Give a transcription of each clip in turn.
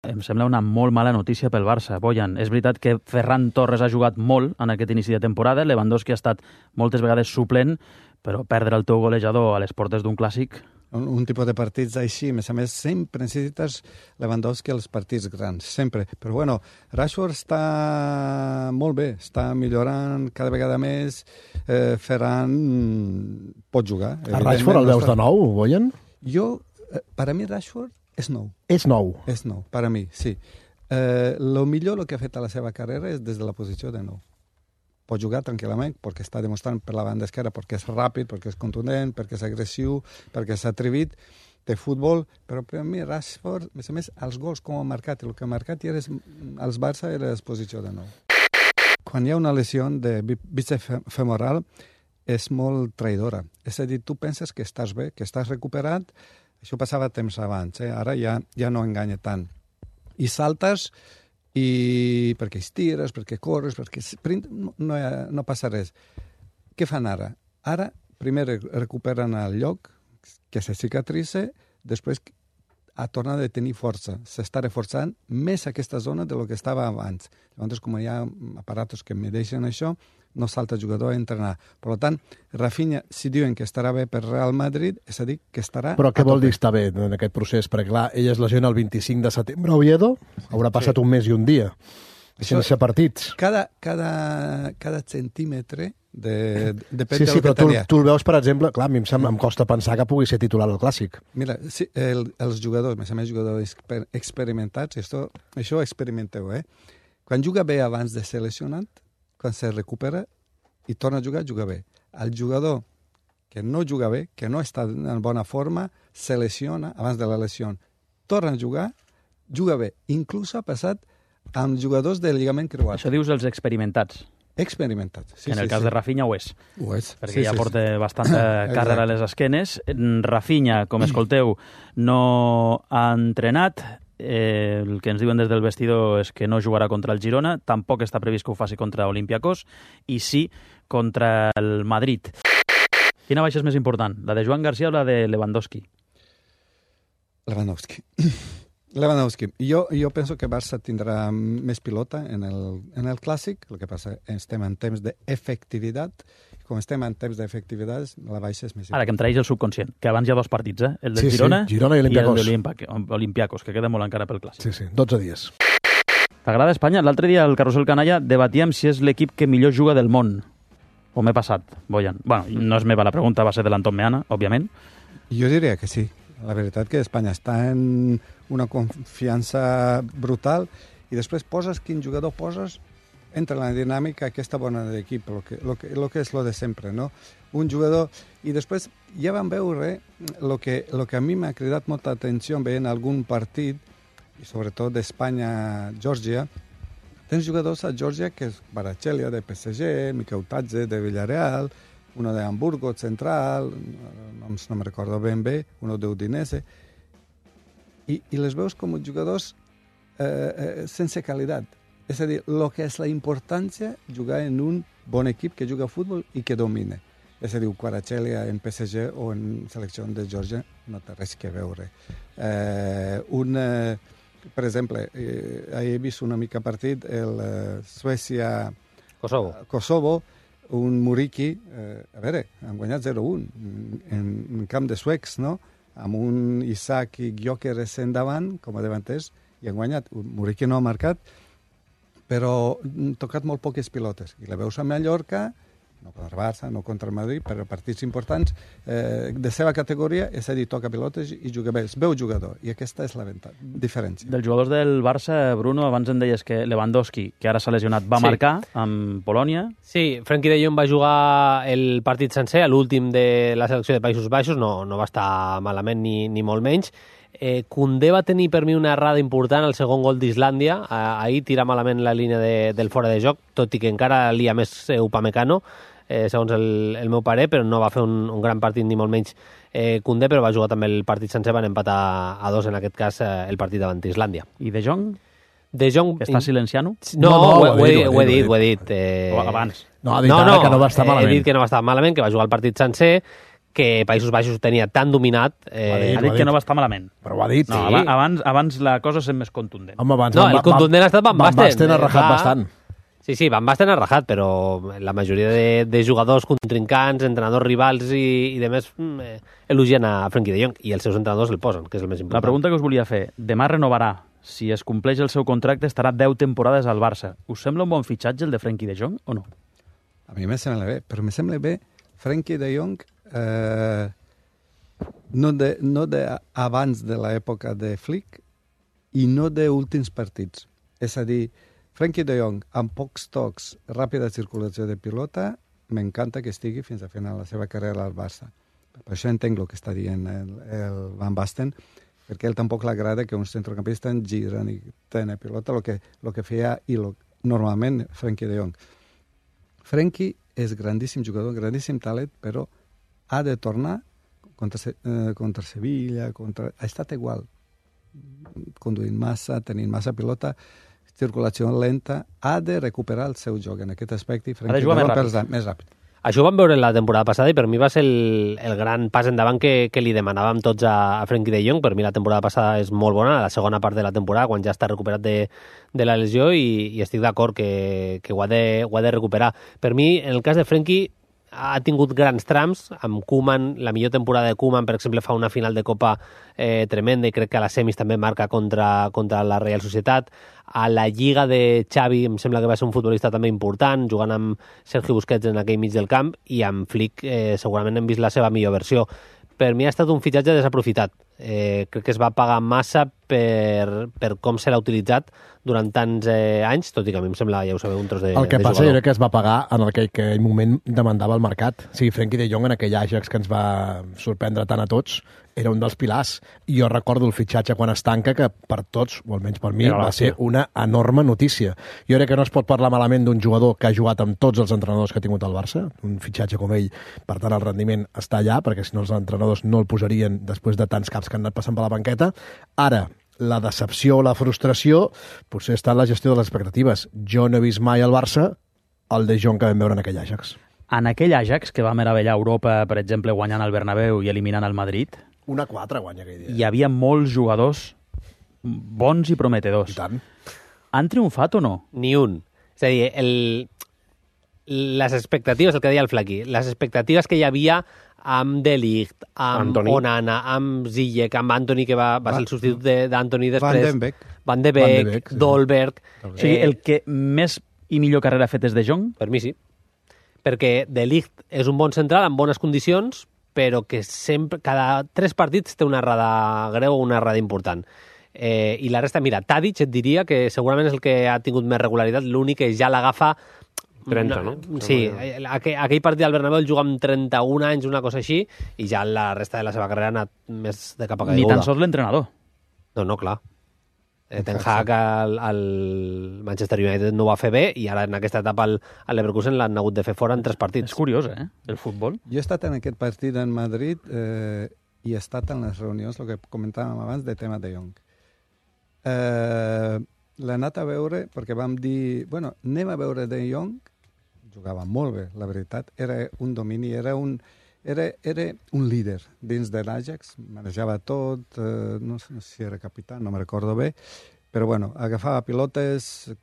em sembla una molt mala notícia pel Barça. Bojan, és veritat que Ferran Torres ha jugat molt en aquest inici de temporada, Lewandowski ha estat moltes vegades suplent, però perdre el teu golejador a les portes d'un clàssic... Un tipus de partits així, a més, sempre necessites Lewandowski als partits grans, sempre. Però bueno, Rashford està molt bé, està millorant cada vegada més, Ferran pot jugar. A Rashford el veus de nou, Bojan? Jo, per a mi Rashford és nou. És nou? És nou, per a mi, sí. Lo millor que ha fet a la seva carrera és des de la posició de nou. Pot jugar tranquil·lament perquè està demostrant per la banda esquerra, perquè és ràpid, perquè és contundent, perquè és agressiu, perquè és atrevit, té futbol, però per a mi Rashford, a més, els gols com ha marcat, el que ha marcat als Barça era la posició de nou. Quan hi ha una lesió de bíceps femoral és molt traïdora. És a dir, tu penses que estàs bé, que estàs recuperat, això passava temps abans, ara ja no enganya tant. I saltes i perquè estires, perquè corres, perquè no passa res. Què fan ara? Ara, primer recuperen el lloc, que se cicatritza, després torna a tenir força. S'està reforçant més aquesta zona de lo que estava abans. Llavors, com hi ha aparatos que medeixen això, no salta el jugador a entrenar. Per tant, Rafinha, si diuen que estarà bé per Real Madrid, és a dir, que estarà... Però què vol dir estar bé en aquest procés? Perquè, clar, ell es lesiona el 25 de setembre a Oviedo, haurà passat un mes i un dia, sense partits. Cada centímetre depèn de lo que però tenia. Tu el veus, per exemple, clar, a mi em costa pensar que pugui ser titular al Clàssic. Mira, sí, els jugadors, a més jugadors experimentats, això experimenteu, Quan juga bé abans de ser lesionat, quan se recupera i torna a jugar, juga bé. El jugador que no juga bé, que no està en bona forma, se lesiona abans de la lesió. Torna a jugar, juga bé. Inclús ha passat amb jugadors del lligament creuat. Això dius els experimentats. Experimentats. Sí, en el cas de Rafinha ho és. Ho és. Perquè ja porta bastanta càrrega a les esquenes. Rafinha, com escolteu, no ha entrenat. El que ens diuen des del vestidor és que no jugarà contra el Girona, tampoc està previst que ho faci contra Olympiacos i sí contra el Madrid. Quina baixa és més important, la de Joan García o la de Lewandowski? Lewandowski. Jo penso que Barça tindrà més pilota en el Clàssic, el que passa estem en temps d'efectivitat. Com estem en temps d'efectivitat, la baixa és més important. Ara, que em traeix el subconscient, que abans hi ha dos partits, el de Girona i Olympiacos. el d'Olympiacos, que queda molt encara pel Clàssic. Sí, 12 dies. T'agrada Espanya? L'altre dia al Carrusel Canalla debatíem si és l'equip que millor juga del món. O m'he passat, Bojan? Bueno, no és meva la pregunta, va ser de l'Anton Meana, òbviament. Jo diria que sí. La veritat que Espanya està en una confiança brutal i després poses quin jugador poses, entra en la dinàmica aquesta bona d'equip, lo que és lo de sempre, no? Un jugador... I després ja vam veure lo que a mi m'ha cridat molta atenció veient algun partit, i sobretot d'Espanya-Geòrgia. Tens jugadors a Geòrgia que és Kvaratskhelia de PSG, Mikautadze de Villarreal, uno de Hamburgo Central, no me recordo ben bé, uno de Udinese, i les veus com jugadors sense qualitat. És a dir, el que és la importància jugar en un bon equip que juga a futbol i que domina. És a dir, Kvaratskhelia en PSG o en selecció de Geòrgia no té res que veure. Per exemple, he vist una mica partit el Suècia-Kosovo, un Muriqui, a veure, han guanyat 0-1 en camp de suecs, no? Amb un Isaac i Gyökeres endavant, com a davanters, i han guanyat. Muriqui no ha marcat, però han tocat molt poques pilotes. I la veus a Mallorca, no contra el Barça, no contra el Madrid, però partits importants de seva categoria, és a dir, toca pilotes i juga bé. Es veu jugador, i aquesta és la diferència. Dels jugadors del Barça, Bruno, abans em deies que Lewandowski, que ara s'ha lesionat, va marcar amb Polònia. Sí, Frenkie de Jong va jugar el partit sencer, l'últim de la selecció de Països Baixos, no va estar malament ni molt menys. Koundé va tenir per mi una errada important al segon gol d'Islàndia. Ahir tira malament la línia del fora de joc, tot i que encara lia més Upamecano, segons el meu parer, però no va fer un gran partit ni molt menys Koundé, però va jugar també el partit sencer, van empatar a 2 en aquest cas el partit davant d'Islàndia. I De Jong? De Jong... Està silenciant-ho? No, ho he dit. O abans? No, ha dit ara que no va estar malament. He dit que no va estar malament, que va jugar el partit sencer, que Països Baixos ho tenia tan dominat... Ha dit que no va estar malament. Però ho ha dit. No, Sí. abans la cosa és més contundent. Home, abans No, el contundent ha estat Van Basten. Van Basten ha rajat Clar. bastant. Sí, Van Basten ha rajat, però la majoria de jugadors contrincants, entrenadors rivals i demés elogien a Frenkie de Jong i els seus entrenadors el posen, que és el més important. La pregunta que us volia fer, demà renovarà. Si es compleix el seu contracte, estarà 10 temporades al Barça. Us sembla un bon fitxatge el de Frenkie de Jong o no? A mi me sembla bé, però me sembla bé Frenkie de Jong no de abans de l'època de Flick i no de últims partits. És a dir, Frenkie de Jong, amb pocs tocs, ràpida circulació de pilota, m'encanta que estigui fins a final la seva carrera al Barça. Per això entenc el que està dient el Van Basten, perquè a ell tampoc l'agrada que un centrocampista giren i tenen pilota, el que feia normalment Frenkie de Jong. Frenkie és grandíssim jugador, grandíssim talent, però ha de tornar contra Sevilla, ha estat igual, conduint massa, tenint massa pilota, circulació lenta, ha de recuperar el seu joc en aquest aspecte i Frenkie de Jong més ràpid. Això ho vam veure la temporada passada i per mi va ser el gran pas endavant que li demanàvem tots a Frenkie de Jong. Per mi la temporada passada és molt bona, la segona part de la temporada, quan ja està recuperat de la lesió i estic d'acord que ho ha de recuperar. Per mi, en el cas de Frenkie, ha tingut grans trams, amb Koeman, la millor temporada de Koeman, per exemple, fa una final de Copa tremenda i crec que a les semis també marca contra la Real Societat. A la Lliga de Xavi em sembla que va ser un futbolista també important, jugant amb Sergio Busquets en aquell mig del camp, i amb Flick segurament hem vist la seva millor versió. Per mi ha estat un fitxatge desaprofitat. Crec que es va pagar massa per com se l'ha utilitzat durant tants anys, tot i que a mi em sembla, ja ho sabeu, un tros de jugador. El que passa era que es va pagar en aquell moment demandava el mercat. O sigui, Frenkie de Jong en aquell Ajax que ens va sorprendre tant a tots era un dels pilars. I jo recordo el fitxatge quan es tanca, que per tots, o almenys per mi, va ser una enorme notícia. Jo crec que no es pot parlar malament d'un jugador que ha jugat amb tots els entrenadors que ha tingut el Barça, un fitxatge com ell, per tant el rendiment està allà, perquè si no els entrenadors no el posarien després de tants caps que han anat passant per la banqueta. Ara, la decepció o la frustració potser està en la gestió de les expectatives. Jo no he vist mai al Barça el de Jong que vam veure en aquell Ajax. En aquell Ajax, que va meravellar Europa, per exemple, guanyant el Bernabéu i eliminant el Madrid, 1-4 guanya aquell dia. hi havia molts jugadors bons i prometedors. I tant. Han triomfat o no? Ni un. És a dir, les expectatives, el que deia el Flaquí, les expectatives que hi havia amb De Ligt, amb Antoni. Onana, amb Ziyech, amb Antoni, que va ser el substitut d'Antoni després. Van de Beek, sí. Dolberg. O sigui, el que més i millor carrera ha fet és De Jong? Per mi sí. Perquè De Ligt és un bon central amb bones condicions, però que sempre, cada 3 partits té una errada greu o una errada important. I la resta, mira, Tadic et diria que segurament és el que ha tingut més regularitat, l'únic que ja l'agafa 30, no? Sí, aquell partit al Bernabéu el juga amb 31 anys, una cosa així, i ja la resta de la seva carrera ha anat més de cap a caiguda. Ni tan sols l'entrenador. No, clar. Ten Hag al Manchester United no ho va fer bé i ara en aquesta etapa al Leverkusen l'han hagut de fer fora en 3 partits. És curiós, el futbol. Jo he estat en aquest partit en Madrid i he estat en les reunions, el que comentàvem abans, de tema de Jong. L'he anat a veure perquè vam dir, bueno, anem a veure de Jong, jugava molt bé, la veritat, era un domini, era un líder dins de l'Ajax, manejava tot, no sé si era capità, no me recordo bé, però bueno, agafava pilotes,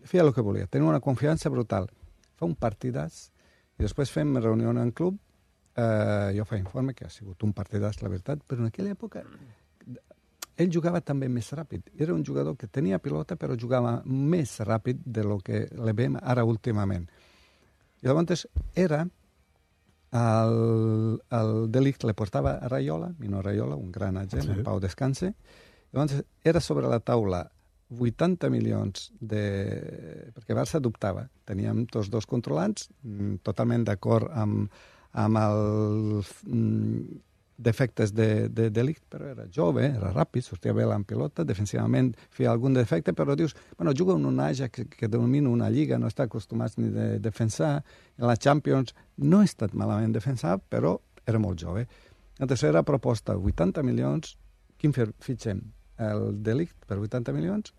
feia el que volia, tenia una confiança brutal. Fa un partidàs i després fem reunió en club, jo faig informe que ha sigut un partidàs, la veritat, però en aquella època ell jugava també més ràpid. Era un jugador que tenia pilota, però jugava més ràpid de lo que le veiem ara últimament. I llavors era el De Ligt le portava a Raiola, Mino Raiola, un gran agent, en Pau Descanse. Llavors era sobre la taula 80 milions perquè Barça dubtava. Teníem tots dos controlants, totalment d'acord amb els defectes de Ligt, però era jove, era ràpid, sortia bé en pilota, defensivament feia algun defecte, però dius, bueno, juga en un Ajax que domina una lliga, no està acostumat ni a defensar, en la Champions no ha estat malament defensat, però era molt jove. La tercera proposta, 80 milions, quin fitxem? El De Ligt per 80 milions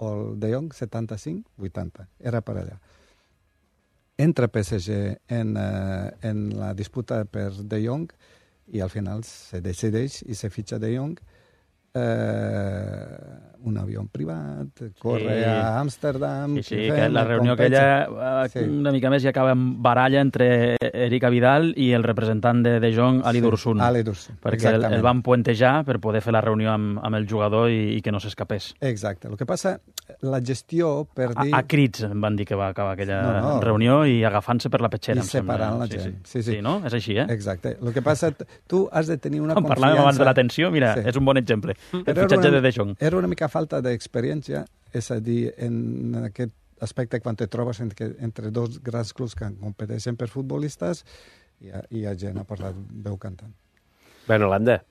o el De Jong 75, 80. Era per allà. entra PSG en la disputa per De Jong i al final se decideix i se fitxa De Jong, un avió privat, corre a Amsterdam... Sí, que la reunió aquella una mica més i acaba en baralla entre Eric Abidal i el representant de De Jong, Ali Dursun. Ali Dursun, perquè el van puentejar per poder fer la reunió amb el jugador i que no s'escapés. Exacte. El que passa, la gestió per dir... A crits em van dir que va acabar aquella reunió i agafant-se per la petxera. I separant la gent. Sí, no? És així, eh? Exacte. El que passa, tu has de tenir una confiança... Quan parlàvem abans de la tensió, mira, és un bon exemple. El fitxatge de De Jong. Era una mica falta d'experiència, és a dir, en aquest aspecte quan te trobes entre dos grans clubs que competeixen per futbolistes i hi ha gent a parlar veu cantant. Bueno, Holanda.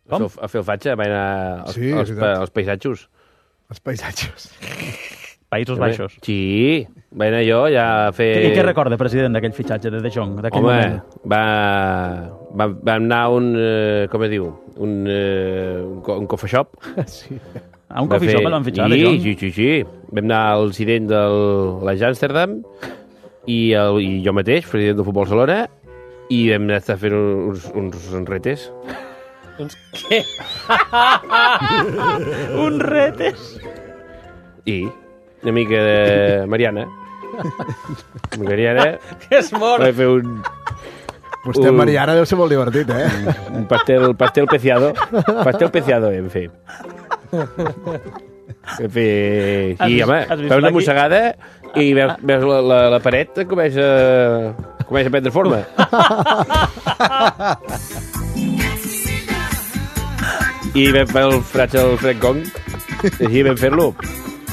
A fer el fatxa, va anar als paisatges. Els paisatges. Països Baixos. Sí, va anar jo ja a fer... I què recorda, president, d'aquell fitxatge de De Jong? Home, va anar com es diu? Un coffee shop. Sí. A un coffee shop el van fitxar, De Jong? Sí. Vam anar al incident de l'Amsterdam i jo mateix, president del Futbol Barcelona, i vam estar fent uns retes. Uns què? Uns retes? I una mica de Mariana. Mariana... Que és mort! Va fer un... Vostè, Mariana, deu ser molt divertit, eh? Un pastel peciado. Pastel peciado vam fer. I, home, feu una mossegada i veus la paret comença a prendre forma. I vam fer el fratge del Fred Gong. Així vam fer-lo.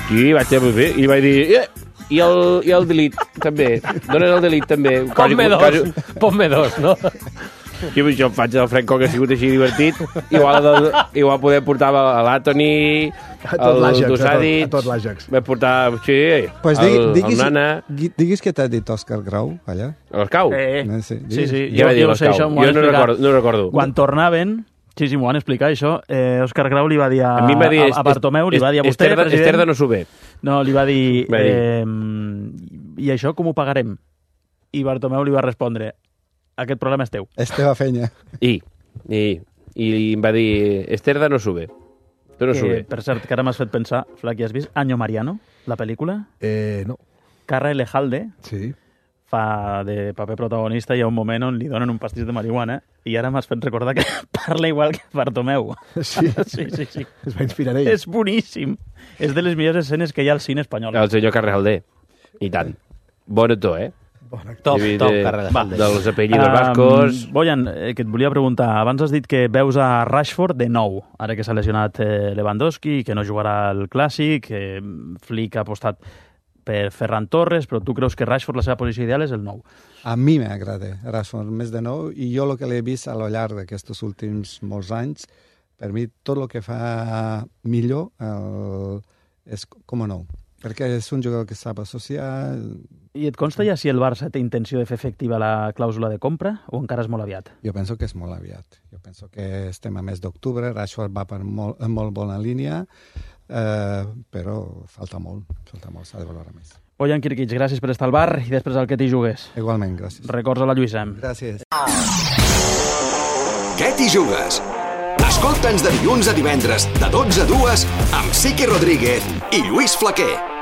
Sí, vaig fer. I vaig dir... I el delete, també. Donen el delete, també. Ponme dos, no? I això faig el Fred Gong, ha sigut així divertit. Igual poder portar a l'Antoni, el Dosadic. A tot l'Àjax. Vam portar, sí, el Nana. Diguis què t'ha dit Òscar Grau, allà. A l'Escau? Sí. Jo sé això, m'ho han explicat. No recordo. Quan tornaven... Sí, m'ho van explicar, això. Òscar Grau li va dir a Bartomeu, li va dir a vostè, president... Esterda no s'ho ve. No, li va dir... I això com ho pagarem? I Bartomeu li va respondre, aquest problema és teu. És teva feina. I em va dir, Esterda no s'ho ve. Tu no s'ho ve. Per cert, que ara m'has fet pensar, Flaqui, has vist Año Mariano, la pel·lícula? No. Carra Elejalde. Sí. Fa de paper protagonista i hi ha un moment on li donen un pastís de marihuana i ara m'has fet recordar que parla igual que Bartomeu. Sí? Sí. Es va inspirar ell. És boníssim. És de les millors escenes que hi ha al cine espanyol. El senyor Carrejalder. I tant. Bon actor, eh? Top, Carrejalder. Dels apellidos vascos. Bojan, que et volia preguntar. Abans has dit que veus a Rashford de nou, ara que s'ha lesionat Lewandowski, que no jugarà al Clàssic, que Flick ha apostat per Ferran Torres, però tu creus que Rashford, la seva posició ideal és el 9? A mi m'agrada Rashford més de 9 i jo el que l'he vist a lo llarg d'aquests últims molts anys, per mi tot el que fa millor és com a 9, perquè és un jugador que sap associar... I et consta ja si el Barça té intenció de fer efectiva la clàusula de compra o encara és molt aviat? Jo penso que és molt aviat. Jo penso que estem a mes d'octubre, Rashford va per molt bona línia, però falta molt, s'ha de valorar més. Bojan Kirkic, gràcies per estar al bar i després al que t'hi jugues. Igualment, gràcies. Records a la Lluïsa. Gràcies. Què t'hi jugues? Escolta'ns de dilluns a divendres, de 12 a 2, amb Siqui Rodríguez i Lluís Flaquer.